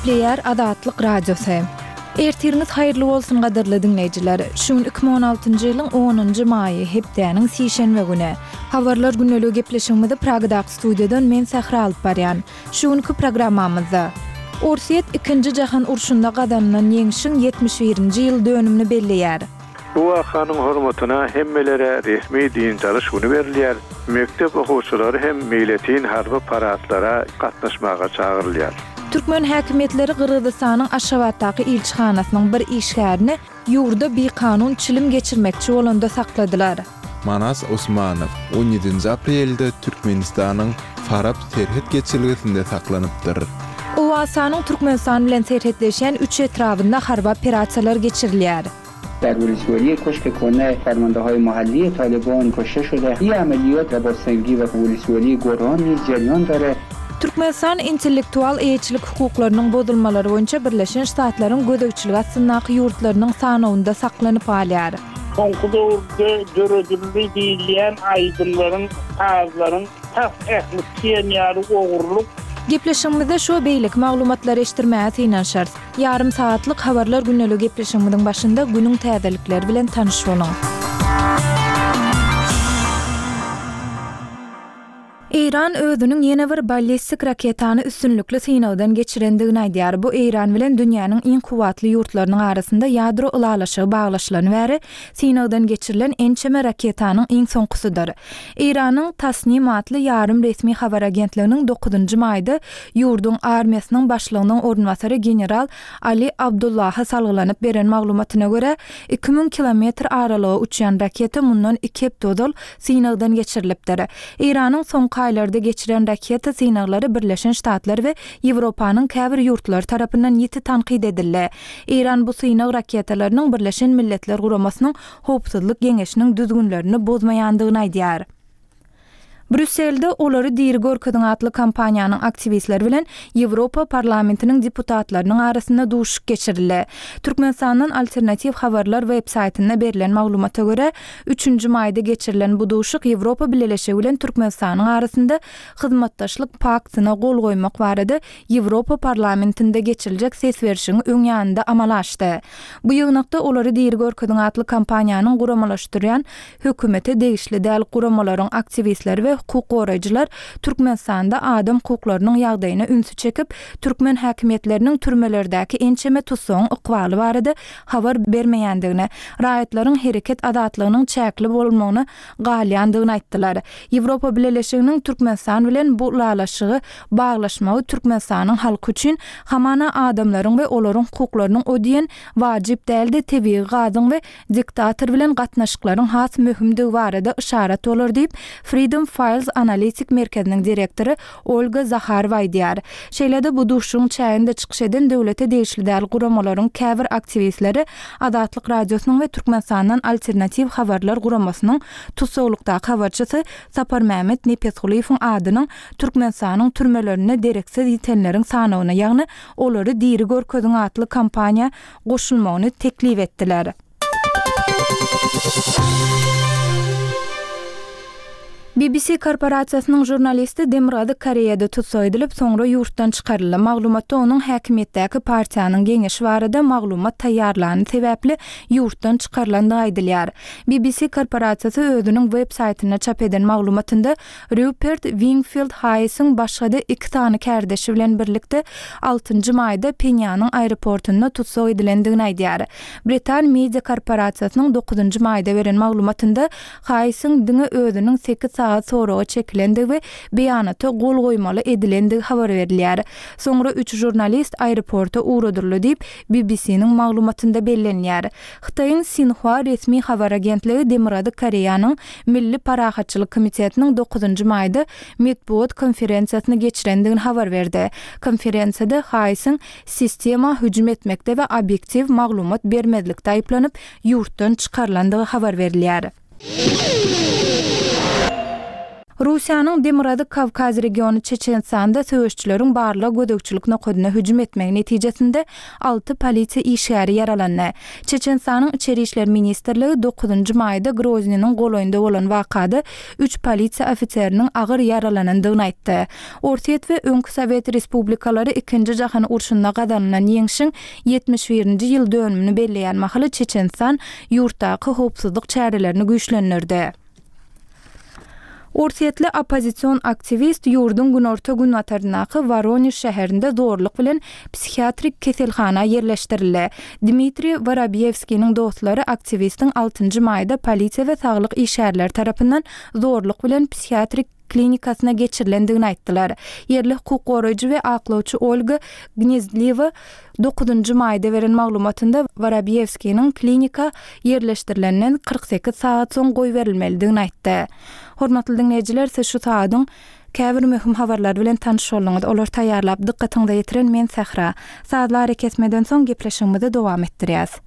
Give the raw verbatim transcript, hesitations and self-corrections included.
Gepleýär Azatlyk Radiosy. Ertiriňiz haýyrly bolsun gadyrly diňleýjiler. Şu gün iki müň on altynjy ýylyň onunjy maýy, hepdäniň sişenbe güni. Habarlar gündeligi gepleşigimizi Pragadaky studiýadan men Sähra alyp barýan. Şu günki programmamyzda Orsýet ikinji jahan urşunda gazanylan ýeňşiň ýetmiş birinji ýyl dönümini belleýär. Bu wakanyň hormatyna hemmelere resmi dynç alyş güni berilýär. Mekdep okuwçylary hem meýletin harby paradlara gatnaşmaga çagyrylýar. Türkmen häkimiýetleri Gyrgyzystanyň Aşgabatdaky ilçihanasynyň bir işgärini ýurda bikanun çilim geçirmekçi bolanda sakladylar. Manas Osmanow on ýedinji aprelde Türkmenistanyň Farap serhet geçelgesinde saklanypdyr. Owganystanyň Türkmenistan bilen serhetleşýän üç etrabynda harby operasiýalar geçirilýär. در ولسوالی کشک کنه فرمانده‌های محلی طالبان کشته شده. این عملیات در باسنگی و ولسوالی گران نیز جریان داره. Türkmenistan intellektual eýeçilik hukuklarynyň bozulmalary boýunça Birleşen Ştatlaryň gözegçiligi astyndaky ýurtlarynyň sanawynda saklanyp galýar. Soňky döwürde döredildi diýilýän aýdymlaryň, sazlaryň tas ähli diýen ýaly ogurlyk. Gepleşigimizde şu beýleki maglumatlary eşitdirmäge synanyşarys. Ýarym saatlyk habarlar gündeligi gepleşigimiziň başynda günüň täzelikleri bilen tanyş boluň. Eýran özüniň ýene bir ballistik raketany üstünlikli synagdan geçirendigini aýdýar. Bu Eýran bilen dünýäniň iň kuwwatly ýurtlarynyň arasynda ýadro ylalaşygy baglaşylany bäri synagdan geçirilen ençeme raketanyň iň soňkusydyr. Eýranyň Tasnim atly ýarym resmi habar agentliginiň dokuzynjy maýda ýurduň armiýasynyň başlygynyň orunbasary general Ali Abdullaha salgylanyp beren maglumatyna görä iki müň kilometr aralyga uçýan raketa mundan iki hepde ozal synagdan geçirilipdir. Eýranyň soňky aýlarda geçiren raketa synaglary Birleşen Ştatlar we Ýewropanyň käbir ýurtlary tarapyndan ýiti tankyt edildi. Eýran bu synag raketalarynyň Birleşen Milletler Guramasynyň Howpsuzlyk Geňeşiniň düzgünlerini bozmaýandygyny aýdýar. Brüsselde olary diri görkeziň atly kampaniýanyň aktiwistleri bilen Ýewropa parlamentiniň deputatlarynyň arasynda duşuşyk geçirildi. Türkmenistandan alternatiw habarlar web saýtynda berlen maglumata görä, üçünji maýda geçirilen bu duşuşyk Ýewropa Bileleşigi bilen Türkmenistanyň arasynda hyzmatdaşlyk paktyna gol goýmak barada Ýewropa parlamentinde geçiriljek ses berişiň öň ýanynda amala aşdy. Bu ýygnakda olary diri görkeziň atly kampaniýanyň guramalaşdyrýan hökümete degişli däl guramalaryň aktiwistleri we hukuk goraýjylar Türkmenistanda adam hukuklarynyň ýagdaýyna ünsi çekip, türkmen häkimiýetleriniň türmelerdäki ençeme tutsagyň ykbaly barada habar bermeýändigini, raýatlaryň hereket azatlygynyň çäkli bolmagyna galýandygyny aýtdylar. Ýewropa Bileleşiginiň Türkmenistan bilen bu ylalaşygy baglaşmagy Türkmenistanyň halky üçin hamana adamlaryň we olaryň hukuklarynyň o diýen wajyp däldi, tebigy gazyň we diktator bilen gatnaşyklaryň has möhümdigi barada yşarat bolar diýip, Freedom Files Analitik Merkeziniň direktory Olga Zaharowa aýdýar. Şeýle-de bu duşuşygyň çäginde çykyş eden döwlete degişli däl guramalaryň käbir aktiwistleri Azatlyk Radiosynyň we Türkmenistandan alternatiw habarlar guramasynyň tutsaglykdaky habarçysy Saparmämmet Nepesgulyýewiň adynyň Türkmenistanyň türmelerinde dereksiz ýitenleriň sanawyna, ýagny olary diri görkeziň atly kampaniýa goşulmagyny teklip etdiler. B B C korporasiýasynyň žurnalisti Demirgazyk Koreýada tutsak edilip, soňra ýurtdan çykaryldy. Maglumatda onuň häkimiýetdäki partiýanyň geňeşi barada maglumat taýýarlany sebäpli ýurtdan çykarylandygy aýdylýar. B B C korporasiýasy özüniň web saýtynda çap eden maglumatynda Rupert Wingfield Hayesiň başga-da iki sany kärdeşi bilen birlikde altynjy maýda Penýanyň aeroportunda tutsak edilendigini aýdýar. Britan Media korporasiýasynyň dokuzynjy maýda beren maglumatynda Hayesiň diňe özüniň sekiz saat soraga çekilendigi we beýanata gol goýmaly edilendigi habar berilýär. Soňra üç žurnalist aeroporta ugradyryldy diýip B B C-niň maglumatynda bellenýär. Hytaýyň Xinhua resmi habar agentligi Demirgazyk Koreýanyň Milli Parahatçylyk Komitetiniň dokuzynjy maýda metbugat konferensiýasyny geçirendigini habar berdi. Konferensiýada Hayesiň sistema hüjüm etmekde we obýektiw maglumat bermezlikde aýyplanyp ýurtdan çykarylandygy habar berilýär. Russiýanyň Demirgazyk Kawkaz regiony Çeçenistanda söweşçileriň barlag gözegçilik nokadyna hüjüm etmegi netijesinde alty polisiýa işgäri ýaralandy. Çeçenistanyň Içeri işler ministrligi dokuzynjy maýda Groznynyň golaýynda bolan wakada üç polisiýa ofiseriniň agyr ýaralanandygyny aýtdy. Orsýet we öňki sowet respublikalary Ikinji jahan urşunda gazanylan ýeňşiň ýetmiş birinji ýyl dönümini belleýän mahaly Çeçenistan ýurtdaky howpsuzlyk çärelerini güýçlendirdi. Orsýetli oppozision aktiwist ýurduň günorta-günbataryndaky Woronež şäherinde zorluk bilen psihiatrik keselhana ýerleşdirildi. Dmitriý Worobýewskiniň dostlary aktiwistiň altynjy maýda polisiýa we saglyk işgärleri tarapyndan zorluk bilen psihiatrik klinikasyna geçirilendigini aýtdylar. Ýerli hukuk goraýjy we aklawçy Olga Gnezdliwa dokuzynjy maýda beren maglumatynda Worobýewskiniň klinika ýerleşdirilenden kyrk sekiz sagat soň goýberilmelidigini aýtdy. Hormatly diňleýjiler, siz şu sagadyň käbir möhüm habarlary bilen tanyş bolduňyz. Olary taýýarlap, dykgatyňyza ýetiren men Sähra. Sazly arakesmeden soň gepleşigimizi dowam etdirýäs.